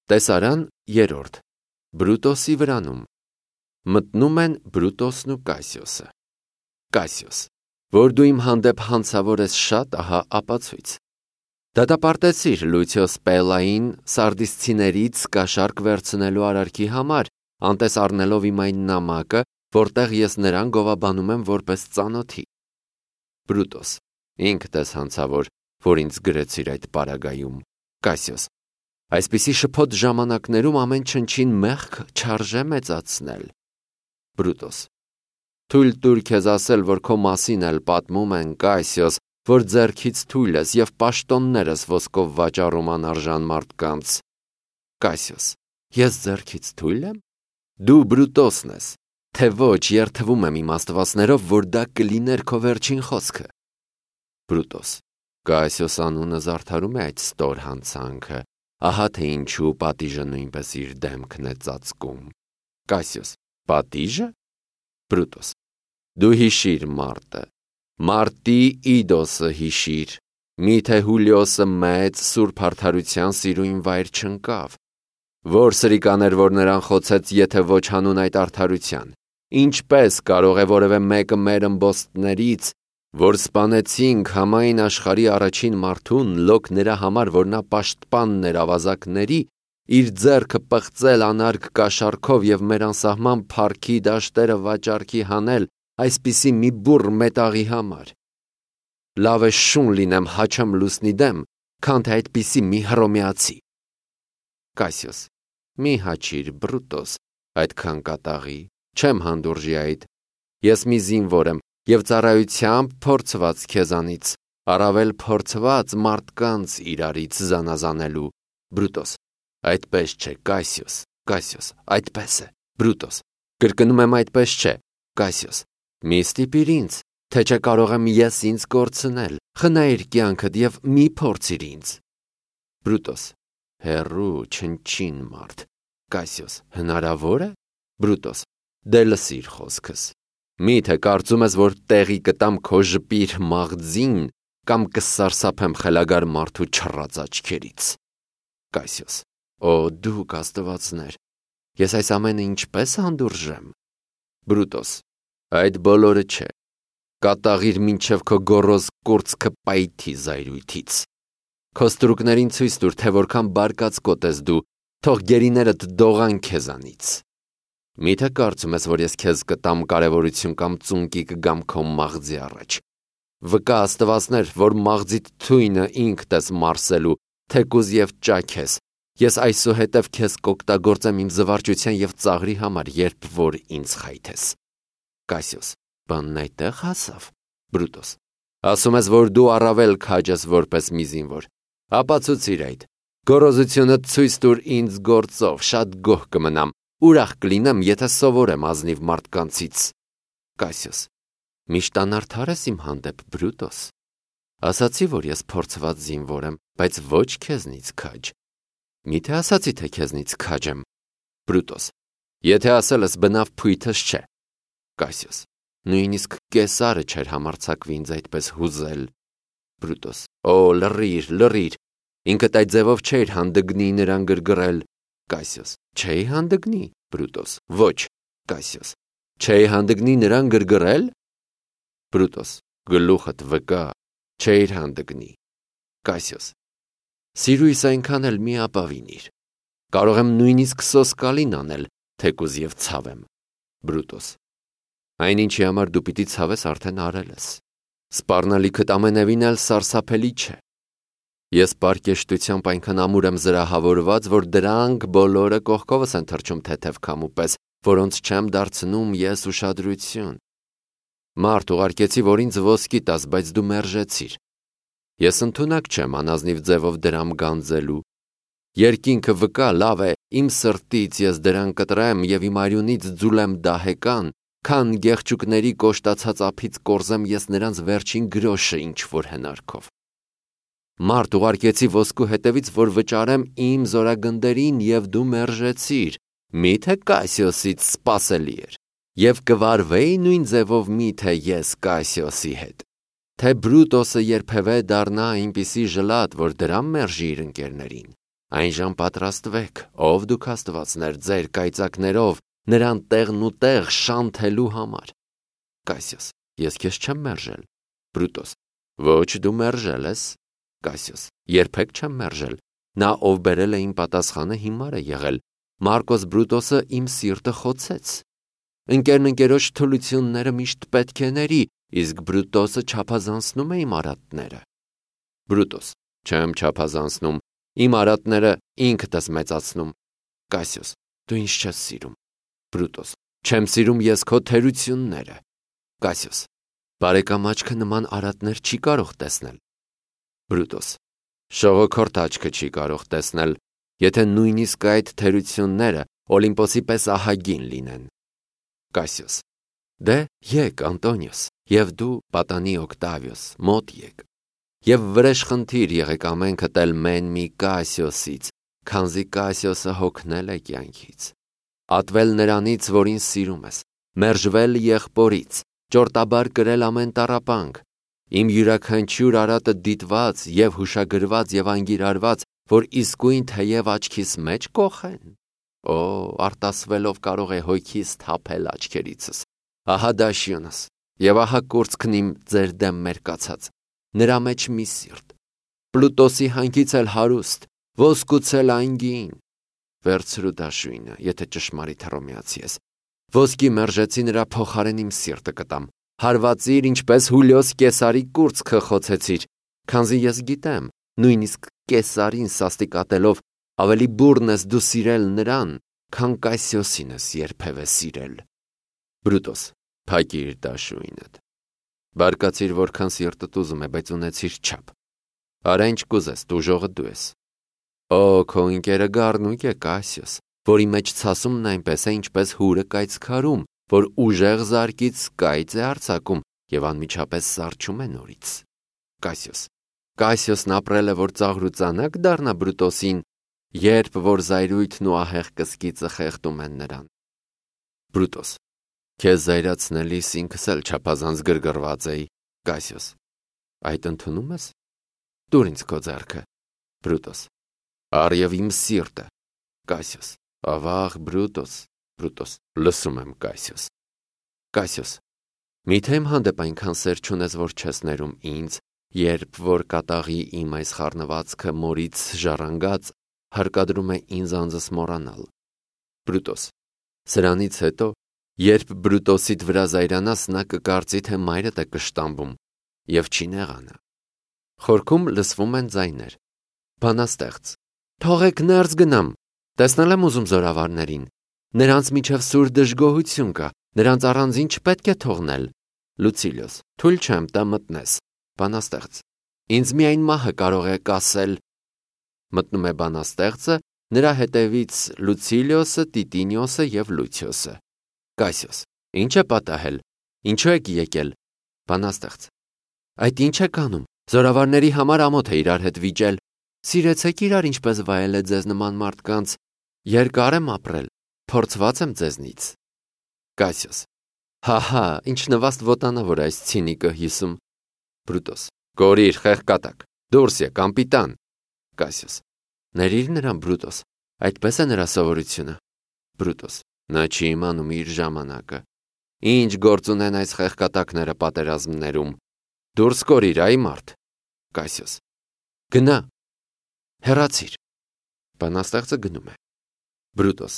Տեսարան 3. Բրուտոսի վրանում։ Մտնում են Բրուտոսն ու Կասիոսը։ Կասիոս, որ դու իմ հանդեպ հանցավոր ես շատ, ահա ապացույց։ Դատապարտեցիր Լուցիոս Պելային սարդիսցիներից կաշառք վերցնելու արարքի համար, անտես առնելով իմ այն նամակը, որտեղ ես նրան գովաբանում եմ որպես ծանոթի։ Բրուտոս, ինքդ ես հանցավոր, որ ինձ գրեցիր այդ պարագայում։ Կասիոս, այսպիսի շփոթ ժամանակներում ամեն չնչին մեղք չարժե մեծացնել։ Բրուտոս, թույլ տուր քեզ ասել, որ քո մասին էլ պատմում են, Կասիոս, որ ձեռքից թույլ ես և պաշտոններս ոսկով վաճառում անարժան մարդկանց։ Կասիոս, ես ձեռքից թույլ եմ։ Դու Բրուտոսն ես, թե ոչ երդվում եմ իմ աստվածներով, որ դա կլիներ քո վերջին խոսքը։ Բրուտոս, Կասիոս անունը զարդարում է այդ ստոր հանցանքը, ահա թե ինչու պատիժը նույնպես իր դեմքն է ծածկում։ Կասիոս, պատիժը։ Բրուտոս, դու հիշիր մարտը, Մարտի Իդոսը հիշիր, միթե Հուլիոսը մեծ սուրբ արդարության սիրուն վայր չընկավ, որ սրիկաներ, որ նրան խոցեց, եթե ոչ հանուն այդ արդարության, ինչպես կարող է որևէ մեկը մեր ըմբոստներից, որ սպանեցինք համայն աշխարհի առաջին մարդուն, լոկ նրա համար, որ նա պաշտպանն էր ավազակների, իր ձեռքը պղծել անարգ կաշառքով և մեր անսահման փառքի դաշտերը վաճառքի հանել այսպիսի մի բուռ մետաղի համար։ Լավ է շուն լինեմ հաչեմ լուսնի դեմ, քան թե այդպիսի մի հռոմեացի։ Կասիոս, մի հաչիր, Բրուտոս, այդքան կատաղի, չեմ հանդուրժի այդ։ Ես մի զինվոր եմ և ծառայությամբ փորձված քեզանից, առավել փորձված մարդկանց իրարից զանազանելու։ Բրուտոս, այդպես չէ, Կասիոս, Կասիոս, այդպես է, Բրուտոս, կրկնում եմ այդպես չէ, Կասիոս, մի ստիպիր ինձ, թե չէ կարող եմ ես ինձ կորցնել, խնայիր կյանքդ և մի փորձիր ինձ։ Բրուտոս, հեռու չնչին մարդ։ Կասիոս, հնարավոր է։ Բրուտոս, դե լսիր խոսքս։ Միթե կարծում ես, որ տեղի կտամ քո ժպիր մաղձին կամ կսարսափեմ խելագար մարդու չռած աչքերից։ Կասիոս, օ դուք աստվածներ, ես այս ամենը ինչպես հանդուրժեմ։ Բրուտոս, այդ բոլորը չէ, կատաղիր մինչև քո գոռոզ կուրծքը պայթի զայրույթից։ Քո ստրուկներին ցույց տուր, թե որքան բարկացկոտ ես դու, թող գերիներդ դողան քեզանից։ Միթե կարծում ես, որ ես քեզ կտամ կարևորություն կամ ծունկի կգամ քո մաղձի առաջ։ Վկա աստվածներ, որ մաղձիդ թույնը ինքդ ես մարսելու, թեկուզ և ճաք ես, ես այսուհետև քեզ կօգտագործեմ իմ զվարճության և ծաղրի համար, երբ որ ինձ խայթես։ Կասիոս, բանն այդտեղ հասավ։ Բրուտոս, ասում ես, որ դու առավել քաջ ես որպես մի զինվոր։ Ապացուցիր այդ։ Գոռոզությունդ ցույց տուր ինձ գործով, շատ գոհ կմնամ, ուրախ կլինեմ, եթե սովորեմ ազնիվ մարդկանցից։ Կասիոս, միշտ անարդար ես իմ հանդեպ, Բրուտոս։ Ասացի, որ ես փորձված զինվոր եմ, բայց ոչ քեզնից քաջ։ Միթե ասացի, թե քեզնից քաջ եմ։ Բրուտոս, եթե ասել ես բնավ փույթս չէ։ Կասիոս, նույնիսկ Կեսարը չէր համարձակվի ինձ այդպես հուզել։ Բրուտոս, օ, լռիր, ինքդ այդ ձևով չէր հանդգնի նրան գրգռել։ Կասիոս, չէի հանդգնի։ Բրուտոս, ոչ։ Կասիոս, չէի հանդգնի նրան գրգռել։ Բրուտոս, գլուխդ վկա, չէիր հանդգնի։ Կասիոս, սիրույս այնքան էլ մի ապավինիր։ Կարող եմ նույնիսկ սոսկալին անել, թեկուզ և ցավեմ։ Բրուտոս, այնինչի համար դու պիտի ցավես արդեն արել ես։ Սպառնալիքդ ամենևին էլ սարսափելի չէ։ Ես պարկեշտությամբ այնքան ամուր եմ զրահավորված, որ դրանք բոլորը կողքովս են թռչում թեթև քամու պես, որոնց չեմ դարձնում ես ուշադրություն։ Մարդ ուղարկեցի, որ ինձ ոսկի տաս, բայց դու մերժեցիր։ Ես ընդունակ չեմ անազնիվ ձևով դրամ գանձելու։ Երկինքը վկա, լավ է, իմ սրտից ես դրան կտրեմ և իմ արյունից ձուլեմ դահեկան, քան գեղչուկների կոշտացած ափից կորզեմ ես նրանց վերջին գրոշը ինչ-որ հնարքով։ Մարդ ուղարկեցի ոսկու հետևից, որ վճարեմ իմ զորագնդերին և դու մերժեցիր, միթե Կասիոսից սպասելի էր, և կվարվեի նույն ձևով միթե ես Կասիոսի հետ, թե Բրուտոսը երբևէ դառնա այնպիսի ժլատ, որ դրամ մերժի իր ընկերներին։ Այնժամ պատրաստվեք, ով դուք աստվածներ, ձեր կայծակներով, նրան տեղն ու տեղ շանթելու համար։ Կասիոս. Ես քեզ չեմ մերժել։ Բրուտոս. Ոչ, դու մերժել ես։ Կասիոս. Երբեք չեմ մերժել։ Նա, ով բերել է իմ պատասխանը, հիմար է եղել։ Մարկոս Բրուտոսը իմ սիրտը խոցեց։ Ընկերն թուլությունները միշտ պետք է ների, իսկ Բրուտոսը չափազանցնում է իմ արատները։ Բրուտոս. Չեմ չափազանցնում, իմ արատները ինքդ ես մեծացնում։ Կասիոս. Դու ինձ չես սիրում։ Բրուտոս. Չեմ սիրում ես քո թերությունները։ Կասիոս. Բարեկամ աչքը նման արատներ չի կարող տեսնել։ Բրուտոս. Շողոքորթ աչքը չի կարող տեսնել, եթե նույնիսկ այդ թերությունները Օլիմպոսի պես ահագին լինեն։ Կասիոս. Դե եկ, Անտոնիոս, և դու, պատանի Օկտավիոս, մոտ եկ, և վրեժխնդիր եղեք ամենքդ էլ մեն մի Կասիոսից, քանզի Կասիոսը հոգնել է կյանքից, ատվել նրանից, որին սիրում ես, մերժվել եղբորից, ճորտաբար կրել ամեն տառապանք, իմ յուրաքանչյուր արատը դիտված և հուշագրված և անգիրարված, որ իսկույն թեև աչքիս մեջ կոխեն։ Օ, արտասվելով կարող է հոգիս թափել աչքերիցս։ Ահա դաշյունս, և ահա կուրծքն իմ ձեր դեմ մերկացած, նրա մեջ մի սիրտ, Պլուտոսի հանքից էլ հարուստ, ոսկուց էլ անգին։ Վերցրու դաշույնը, եթե ճշմարիտ հռոմեացի ես։ Ոսկի մերժեցի նրա փոխարեն իմ սիրտը կտամ։ Հարվածիր, ինչպես Հուլիոս Կեսարի կուրծքը խոցեցիր, քանզի ես գիտեմ, նույնիսկ Կեսարին սաստիկատելով ավելի բուռն ես դու սիրել նրան, քան Կասիոսին ես երբևէ սիրել։ Բրուտոս. Փակիր դաշույնդ։ Բարկացիր, որքան սիրտդ ուզում է, բայց ունեցիր չափ։ Արա ինչ կուզես, տուժողը դու ես։ Օ, քո ընկերը գառնուկ է Կասիոս, որի մեջ ցասումն այնպես է, ինչպես հուրը կայծքարում, որ ուժեղ զարկից կայծ է արձակում և անմիջապես սառչում է նորից։ Կասիոս. Կասիոսն ապրել է, որ ծաղրուծանակ դառնա Բրուտոսին, երբ որ զայրույթն ու ահեղ կսկիծը խեղդում են նրան։ Բրուտոս. Քեզ զայրացնելիս ինքս էլ չափազանց գրգռված էի։ Կասիոս. Այդ ընդունում ես։ Տուր ինձ քո ձեռքը։ Բրուտոս. Առ իմ սիրտը։ Կասիոս. Ավաղ Բրուտոս։ Բրուտոս. Լսում եմ, Կասիոս։ Կասիոս. Միթե իմ հանդեպ այնքան սեր չունես, որ չես ներում ինձ, երբ որ կատաղի իմ այս խառնվածքը մորից ժառանգած հարկադրում է ինձ անձս մոռանալ։ Բրուտոս. Սրանից հետո, երբ Բրուտոսիդ վրա զայրանաս, նա կկարծի, թե մայրդ է կշտամբում, և չի նեղանա։ Խորքում լսվում են ձայներ։ Բանաստեղծ. Թողեք ներս գնամ, տեսնել եմ ուզում զորավարներին, նրանց միջև սուր դժգոհություն կա, նրանց առանձին չպետք է թողնել։ Լուցիլիոս. Թույլ չեմ տա մտնես։ Բանաստեղծ. Ինձ միայն մահը կարող է կասել։ Մտնում է բանաստեղծը, նրա հետևից Լուցիլիոսը, Տիտինիոսը և Լուցիոսը։ Կասիոս. Ինչ է պատահել, ինչու եք եկել։ Բանաստեղծ. Այդ ինչ եք անում, զորավարների համար ամոթ է իրար հետ վիճել, սիրեցեք իրար, ինչպես վայել է ձեզ նման մարդկանց, երկար եմ ապրել, փորձված եմ ձեզնից։ Կասիոս. Հահա, ինչ նվաստ ոտանավոր այս ցինիկը հիսում։ Բրուտոս. Կորիր, խեղկատակ, դուրս եկ, անպիտան։ Կասիոս. Ներիր նրան, Բրուտոս, այդպես է նրա սովորությունը։ Բրուտոս. Նա չի իմանում իր ժամանակը։ Ինչ գործ ունեն այս խեղկատակները պատերազմներում։ Դուրս կորիր, այ մարդ։ Կասիոս. Գնա։ Հեռացիր։ Բանաստեղծը գնում է։ Բրուտոս.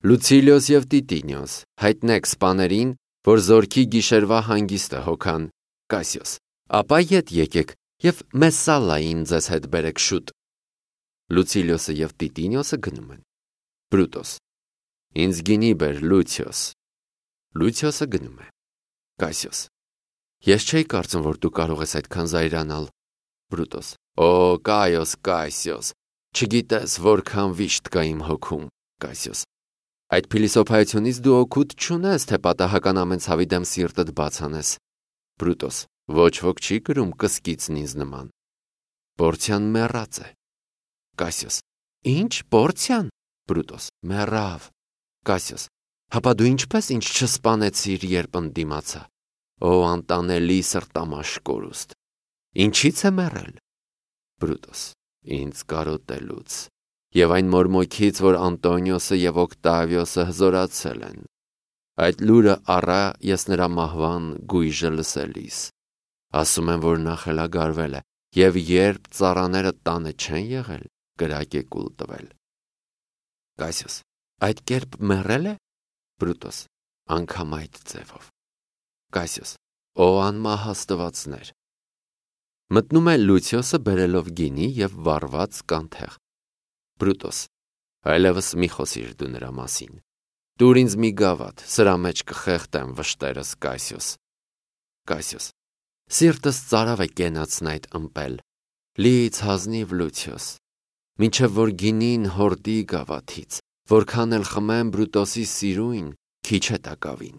Լուցիլիոս և Տիտինիոս, հայտնեք սպաներին, որ զորքի գիշերվա հանգիստը հոգան։ Կասիոս. Ապա ետ եկեք և Մեսսալային ձեզ հետ բերեք շուտ։ Լուցիլիոսը և Տիտինիոսը գնում են։ Բրուտոս. Ինձ գինի բեր, Լուցիոս։ Լուցիոսը գնում է։ Կասիոս. Ես չէի կարծում, որ դու կարող ես այդքան զայրանալ։ Բրուտոս. Օ, Կայոս, Կասիոս, չգիտես որքան վիշտ կա իմ հոգում։ Կասիոս. Այդ փիլիսոփայությունից դու օգուտ չունես, թե պատահական ամեն ցավի դեմ սիրտդ բաց անես։ Բրուտոս. Ոչ ոք չի կրում կսկիծն ինձ նման։ Պորցիան մեռած է։ Կասիոս. Ինչ, Պորցիան։ Բրուտոս. Մեռավ։ Կասիոս. Հապա դու ինչպես ինձ չսպանեցիր, երբ ընդդիմացա։ Օ, անտանելի սրտամաշ կորուստ։ Ինչից է մեռել։ Բրուտոս. Ինձ կարոտելուց։ եւ այն մորմոքից, որ Անտոնիոսը եւ Օկտավիոսը հզորացել են։ Այդ լուրը առա ես նրա մահվան գույժը լսելիս։ Ասում են, որ նա խելագարվել է, եւ երբ ծառաները տանը չեն եղել, կրակ է կուլ տվել։ Կասիոս. այդ կերպ մեռել է։ Բրուտոս. անգամ այդ ձևով։ Կասիոս. Ո անմահաստվածներ։ Մտնում է Լուցիոսը բերելով գինի եւ վառված կանթեղ։ Բրուտոս. այլևս մի խոսիր դու նրա մասին։ Տուր ինձ մի գավաթ, սրա մեջ կխեղդեմ վշտերս, Կասիոս։ Կասիոս. սիրտս ծարավ է կենացն այդ ըմպել, լիից հազնիվ Լուցիոս, մինչև որ գինին հորդի գավաթից, որքան էլ խմեմ Բրուտոսի սիրույն, քիչ է տակավին։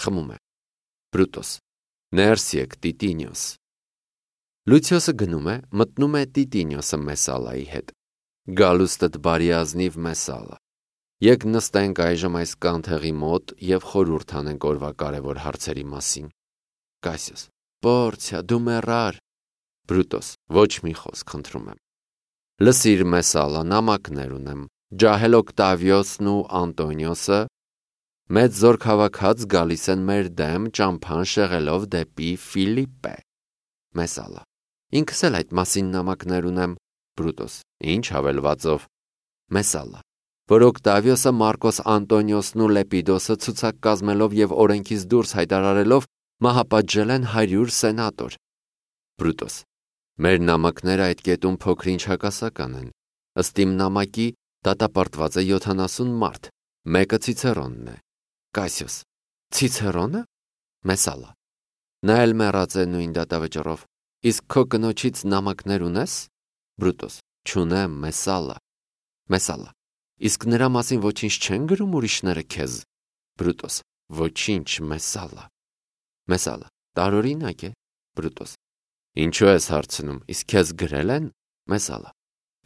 Խմում է։ Բրուտոս. ներս եկ Տիտինիոս։ Լուցիոսը գնում է, մտնում է Տիտինիոսը Մեսալայի հետ։ Գալուստդ բարի ազնիվ Մեսալա։ Եկ նստենք այժմ այս կանթեղի մոտ եւ խորհուրդ անենք օրվա կարևոր հարցերի մասին։ Կասիոս. Պորցիա, դու մեռար։ Բրուտոս. ոչ մի խոսք, խնդրում եմ։ Լսիր Մեսալա, նամակներ ունեմ։ Ջահել Օկտավիոսն ու Անտոնիոսը մեծ զորք հավաքած գալիս են մեր դեմ ճամփան շեղելով դեպի Ֆիլիպպե։ Մեսալա. ինքս էլ այդ մասին նամակներ ունեմ։ Բրուտոս. ինչ հավելվածով։ Մեսալա. որ Օկտավիոսը Մարկոս Անտոնիոսն ու Լեպիդոսը ցուցակ կազմելով եւ օրենքից դուրս հայտարարելով մահապատժել են 100 սենատոր։ Բրուտոս. մեր նամակները այդ կետում փոքրինչ հակասական են։ Ըստ իմ նամակի դատապարտված է 70 մարդ, մեկը Ցիցերոնն է։ Կասիոս. Ցիցերոնը։ Մեսալա. նա էլ մեռած է նույն դատավճռով։ Իսկ քո կնոջից նամակներ ունես։ Բրուտոս. չունեմ, Մեսալա։ Մեսալա. իսկ նրա մասին ոչինչ չեն գրում ուրիշները քեզ։ Բրուտոս. ոչինչ, Մեսալա։ Մեսալա. տարօրինակ է։ Բրուտոս. ինչու ես հարցնում, իսկ քեզ գրել են։ Մեսալա.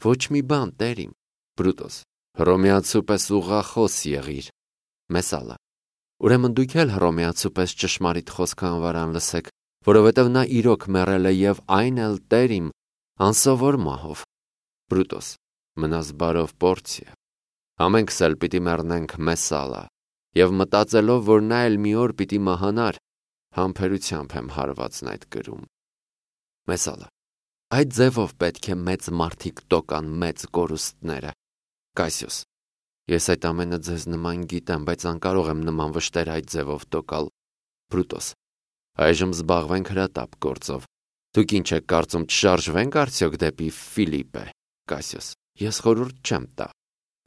ոչ մի բան, տերիմ։ Բրուտոս. հռոմեացու պես ուղղախոս եղիր։ Մեսալա. ուրեմն դուք էլ հռոմեացու պես ճշմարիտ խոսքը անվարան լսեք, որովհետև նա իրոք մեռել է եւ այն էլ տերիմ անսովոր մահով։ Բրուտոս. մնաս բարով, Պորցիա։ Ամենքս էլ պիտի մեռնենք, Մեսալա, եւ մտածելով, որ նա էլ մի օր պիտի մահանար, համբերությամբ եմ հարվածն այդ գրում։ Մեսալա. այդ ձևով պետք է մեծ մարդիկ տոկան մեծ կորուստները։ Կասիոս. ես այդ ամենը ձեզ նման գիտեմ, բայց անկարող եմ նման վշտեր այդ ձևով տոկալ։ Բրուտոս. այժմ զբաղվենք հրատապ գործով։ Դուք ինչ եք կարծում, չշարժվենք արդյոք դեպի Ֆիլիպպե։ Կասիոս. ես խորհուրդ չեմ տա։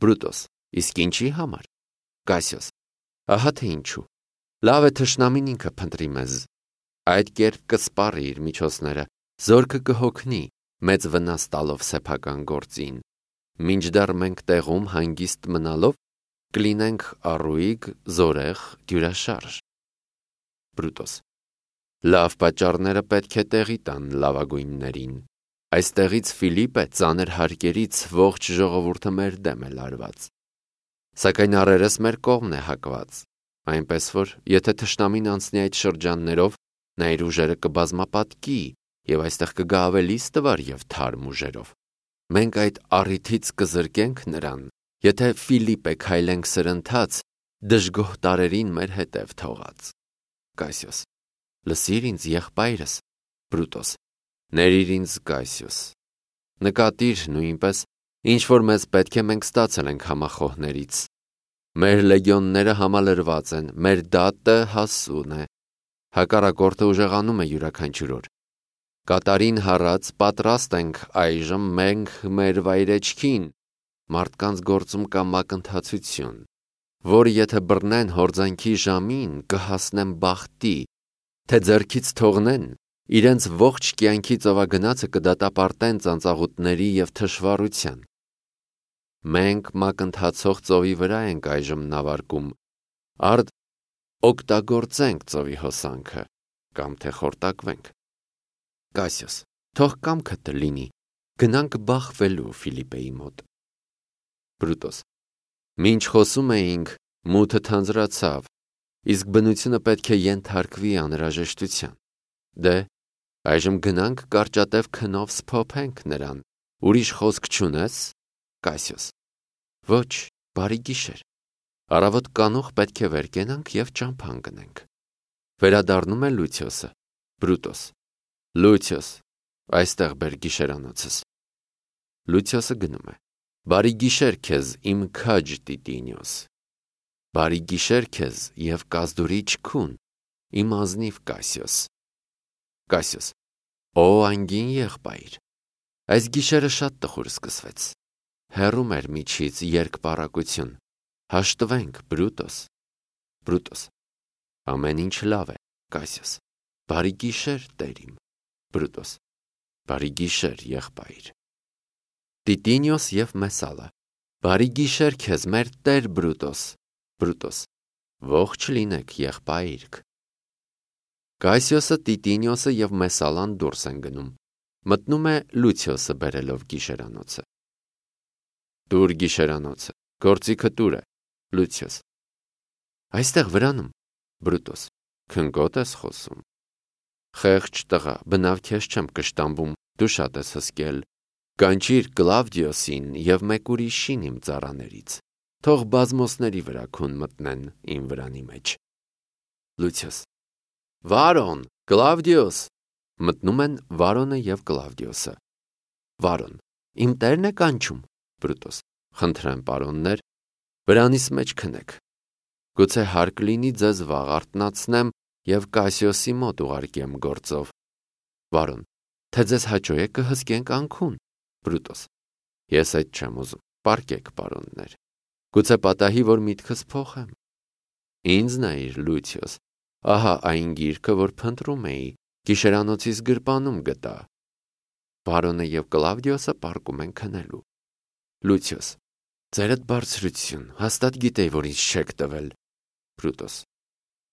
Բրուտոս. իսկ ինչի համար։ Կասիոս. ահա թե ինչու։ Լավ է թշնամին ինքը փնտրի մեզ։ Այդ կերպ կսպառի իր միջոցները, զորքը կհոգնի, մեծ վնաս տալով սեփական գործին։ Մինչդեռ մենք տեղում հանգիստ մնալով կլինենք առույգ, զորեղ, դյուրաշարժ։ Բրուտոս. լավ պատճառները պետք է տեղի տան լավագույններին։ Այստեղից Ֆիլիպպե ծանր հարկերից ողջ ժողովուրդը մեր դեմ է լարված։ Սակայն առերս մեր կողմն է հակված, այնպես որ, եթե թշնամին անցնի այդ շրջաններով, նա իր ուժերը կբազմապատկի եւ այստեղ կգա ավելի ստվար եւ թարմ ուժերով։ Մենք այդ առիթից կզրկենք նրան, եթե Ֆիլիպպե քայլենք սրընթաց, դժգոհ տարերին մեր հետև թողած։ Կասիոս. լսիր ինձ, եղբայրս։ Բրուտոս. ներիր ինձ, Կասիոս։ Նկատիր նույնպես, ինչ որ մեզ պետք է մենք ստացել ենք համախոհներից։ Մեր լեգիոնները համալրված են, մեր դատը հասուն է։ Հակառակորդը ուժեղանում է յուրաքանչյուր օր։ Կատարին հառած պատրաստ ենք այժմ մենք մեր վայրեջքին, մարդկանց գործում կա մակընթացություն, որ եթե բռնեն հորձանքի ժամին, կհասնեն բախտի, թե ձեռքից թողնեն, իրենց ողջ կյանքի ծովագնացը կդատապարտեն ծանծաղուտների եւ թշվառության։ Մենք մակընթացող ծովի վրա ենք այժմ նավարկում, արդ օգտագործենք ծովի հոսանքը, կամ թե խորտակվենք։ Կասիոս. թող կամքդ լինի, գնանք բախվելու Ֆիլիպպեի մոտ։ Բրուտոս. մինչ խոսում էինք, մութը թանձրացավ, իսկ բնությունը պետք է ենթարկվի անհրաժեշտության։ Դե, այժմ գնանք կարճատև քնով սփոփենք նրան, ուրիշ խոսք չունես։ Կասիոս. Ոչ, բարի գիշեր։ Առավոտ կանուխ պետք է վեր կենանք և ճամփան գնենք։ Վերադառնում է Լուցիոսը։ Բրուտոս. Լուցիոս, այստեղ բեր գիշերանոցս։ Լուցիոսը գնում է։ Բարի գիշեր քեզ, իմ քաջ Տիտինիոս։ Բարի գիշեր քեզ և կազդուրիչ քուն, իմ ազնիվ Կասիոս։ Կասիոս. Օ անգին եղբայր, այս գիշերը շատ տխուր սկսվեց։ Հեռում էր միջից երկպառակություն։ Հաշտվենք, Բրուտոս։ Բրուտոս. ամեն ինչ լավ է, Կասիոս։ Բարի գիշեր, տեր իմ։ Բրուտոս. բարի գիշեր, եղբայր։ Տիտինիոս և Մեսալը. բարի գիշեր քեզ, մեր տեր Բրուտոս։ Բրուտոս. ողջ լինեք, եղբայրք։ Կասիոսը, Տիտինիոսը և Մեսալան դուրս են գնում։ Մտնում է Լուցիոսը բերելով գիշերանոցը։ Տուր գիշերանոցը, գործիքը տուր է։ Լուցիոս. այստեղ վրանում։ Բրուտոս. քնկոտ ես խոսում։ Խեղճ տղա, բնավ քեզ չեմ կշտամբում, դու շատ ես հսկել։ Կանչիր Կլավդիոսին և մեկ ուրիշին իմ ծառաներից, թող բազմոսների վրա քուն մտնեն իմ վրանի մեջ։ Լուցիոս. Վարոն, Կլավդիոս։ Մտնում են Վարոնը և Կլավդիոսը։ Վարոն. իմ տերն է կանչում։ Բրուտոս. խնդրեմ, պարոններ, վրանիս մեջ քնեք։ Գուցե հարկ լինի ձեզ վաղ արթնացնեմ և Կասիոսի մոտ ուղարկեմ գործով։ Վարոն. թե ձեզ հաճո է կհսկենք անքուն։ Բրուտոս. ես այդ չեմ ուզում, պառկեք, պարոններ։ Գուցե պատահի, որ միտքս փոխեմ։ Ինձ նայիր, Լուցիոս, ահա այն գիրքը, որ փնտրում էի, գիշերանոցիս գրպանում գտա։ Վարոնը և Կլավդիոսը պառկում են քնելու։ Լուցիոս. ձերդ բարձրություն, հաստատ գիտեի, որ ինձ չեք տվել։ Բրուտոս.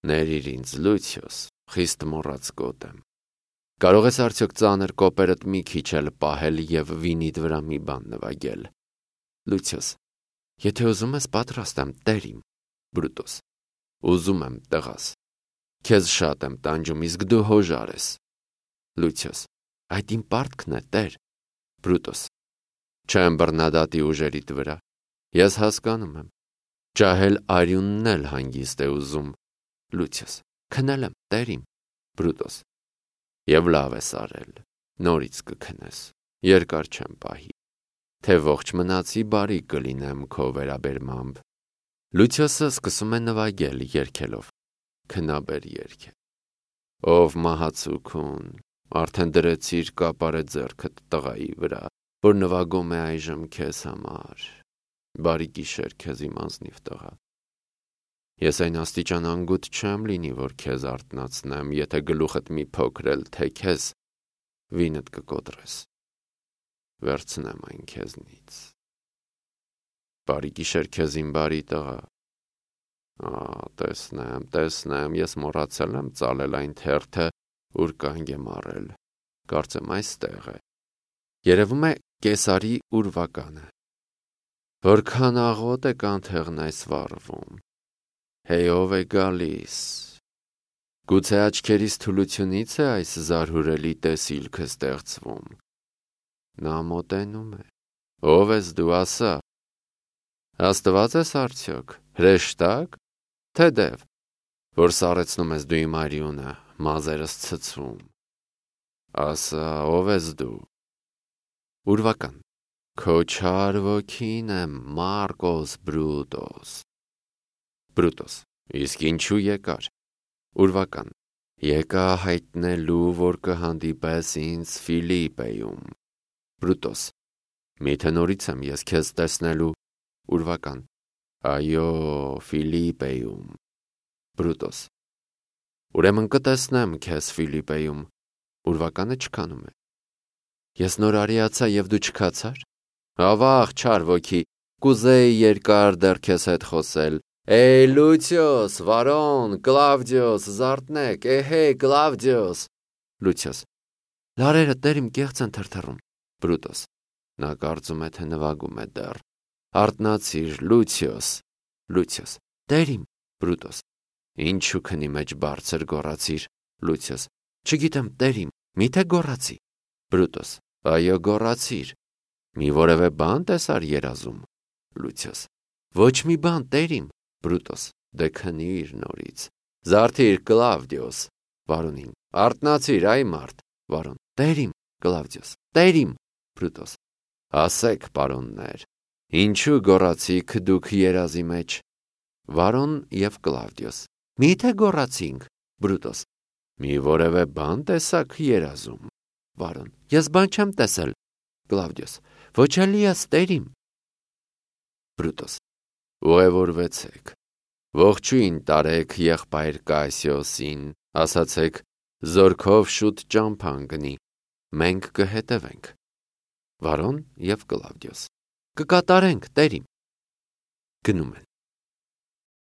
ներիր ինձ, Լուցիոս, խիստ մոռաց գոտ եմ։ Կարող ես արդյոք ծանր կոպերդ մի քիչ էլ պահել և վինիդ վրա մի բան նվագել։ Լուցիոս. եթե ուզում ես, պատրաստ եմ, տեր իմ։ Բրուտոս. ուզում եմ, տղաս։ Քեզ շատ եմ տանջում, իսկ դու հոժար ես։ Լուցիոս. այդ իմ պարտքն է, տեր։ Բրուտոս. չեմ բռնադատի ուժերիդ վրա։ Ես հասկանում եմ։ Ջահել արյունն էլ հանգիստ է ուզում։ Լուցիոս. քնել եմ, տեր իմ։ Բրուտոս. և լավ ես արել, նորից կքնես, երկար չեմ պահի, թե ողջ մնացի բարի կլինեմ քո վերաբերմամբ։ Լուցիոսը սկսում է նվագել երգելով. քնաբեր երգ է։ Ով մահացուքուն, արդեն դրեցիր կապարը ձեռքդ տղայի վրա, որ նվագում է այժմ քեզ համար։ Բարի գիշեր քեզ, իմ ազնիվ տղա։ Ես այն աստիճան անգութ չեմ լինի, որ քեզ արթնացնեմ, եթե գլուխդ մի փոքր էլ թեքես, վինդ կկոտրես։ Վերցնեմ այն քեզնից։ Բարի գիշեր քեզ, իմ բարի տղա։ Տեսնեմ, ես մոռացել եմ ծալել այն թերթը, ուր կանգ եմ առել։ Կարծեմ այստեղ է։ Երևում է կեսարի ուրվականը։ Որքան աղոտ է կանթեղն այս վառվում։ Հեյ, ով է գալիս։ Գուցե աչքերիս թուլությունից է այս զարհուրելի տեսիլքը ստեղծվում։ Նա մոտենում է։ Ով ես դու, ասա։ Աստված ես արդյոք, հրեշտակ, թե դև, որ սառեցնում ես դու իմ արյունը, մազերս ցցում։ Ասա, ով ես դու։ Ուրվական. քո չար ոգին եմ, Մարկոս Բրուտոս։ Բրուտոս. իսկ ինչու եկար։ Ուրվական. եկա հայտնելու, որ կհանդիպես ինձ Ֆիլիպպեում։ Բրուտոս. միթե նորից եմ ես քեզ տեսնելու։ Ուրվական. այո, Ֆիլիպպեում։ Բրուտոս. ուրեմն կտեսնեմ քեզ Ֆիլիպպեում։ Ուրվականը չքանում է։ Ես նոր արիացա և դու չքացար։ Ավաղ, չար ոգի, կուզեի երկար դեռ քեզ հետ խոսել։ Էյ, Լուցիոս, Վարոն, Կլավդիոս, զարթնեք, էհե, Կլավդիոս։ Լուցիոս. լարերը տեր իմ կեղծ են թրթռում։ Բրուտոս. նա կարծում է, թե նվագում է դեռ։ Արթնացիր, Լուցիոս։ Լուցիոս. տեր իմ։ Բրուտոս. ինչու քնի մեջ բարձր գոռացիր։ Լուցիոս. չգիտեմ, տեր իմ, միթե գոռացի։ Բրուտոս. այո, գոռացիր։ Մի որևէ բան տեսար երազում։ Լուցիոս. Ոչ մի բան, տեր իմ։ Բրուտոս. Դե քնիր նորից։ Զարթիր, Կլավդիոս։ Վարունին. Արթնացիր, այ մարդ։ Վարուն. Տեր իմ։ Կլավդիոս. Տեր իմ։ Բրուտոս. Ասեք, պարոններ, ինչու գոռացիք դուք երազի մեջ։ Վարոն և Կլավդիոս. Մի՞թե գոռացինք։ Բրուտոս. Մի որևէ բան տեսաք երազում։ Վարոն. Ես բան չեմ տեսել։ Կլավդիոս. Ոչ էլի ես, տեր իմ։ Բրուտոս. Ուղևորվեցեք, ողջույն տարեք եղբայր Կասիոսին, ասացեք, զորքով շուտ ճամփան գնի, մենք կհետևենք։ Վարոն և Կլավդիոս. Կկատարենք, տեր իմ։ Գնում են։